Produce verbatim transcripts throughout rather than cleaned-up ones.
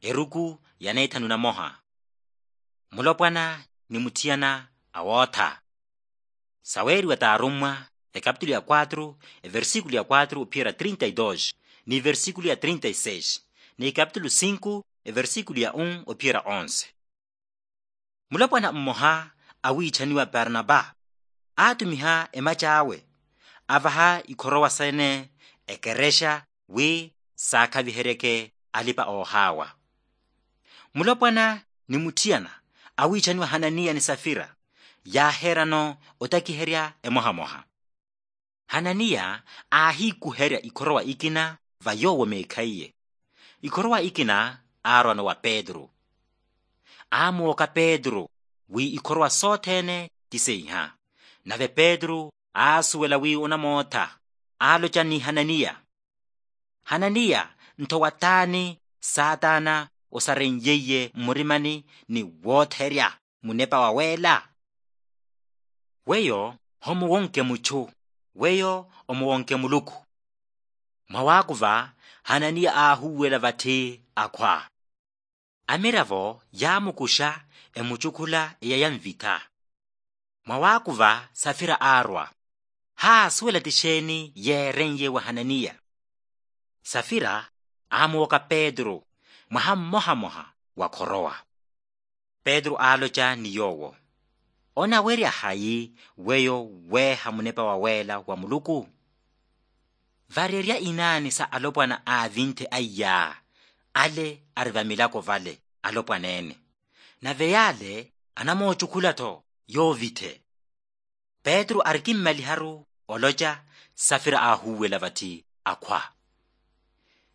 Eruku ya neethanu na moha. Mulopwana ni mutthiyana a wootha. Saweeriwa t'arummwa, ekapitulu ya quatro, eversikulu ya quatro ophiyerya trinta y dos, ni iversikulu ya trinta y seis, ni ekapitulu cinco, eversikulu ya un ophiyerya onze. Mulopwana mmoha awiichaniwa parnapa aatumiha emac'awe, avaha ikhorowa sene ekerexa wi saakhaviheryeke alipa-oohaawa. Mulopwana ni mutthiyana awiichaniwa hananiya ni safira yaaheeryano otakiherya emohamoha. Hananiya aahiikuherya ikhorowa ikina va yoowo meekhaiye. Ikhorowa ikina aarwano wa petru. Aamuwoka petru wi ikhorowa sothene ti seiha. Nave petru aasuwela wi onamootha, aaloca ni hananiya, hananiya, ntho wataani saatana osaren'yeiye mmurimani ni wootherya munepa waweela? Weyo homuwonke muchu, weyo omuwonke muluku. Mwawaakuva hananiya aahuwela vatthi akhwa. Amiravo yaamukuxa emucukhula eya ya nvitha. Mwawaakuva safira aarwa. Haasuwela ti xeeni yeeren'ye wa hananiya. Safira aamuwoka petru mwaha mmohamoha wa khorowa. Petru aaloca ni yoowo, onawerya hayi weyo weeha munepa waweela wa muluku? Varerya inaani sa alopwana aavinthe aiyaa, ale ari vamilako vale alopwana ene. Nave yaale anamoocukhula-tho yoovithe. Petru arikimmaliharu oloca, safira aahuwela vatthi akhwa.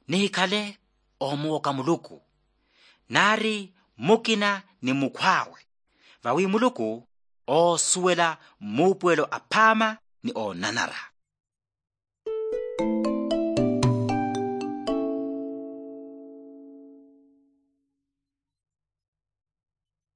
Nihikhale omuwoka muluku, naari mukina ni mukhw'awe, vawi muluku oosuwela muupuwelo aphaama ni oonanara.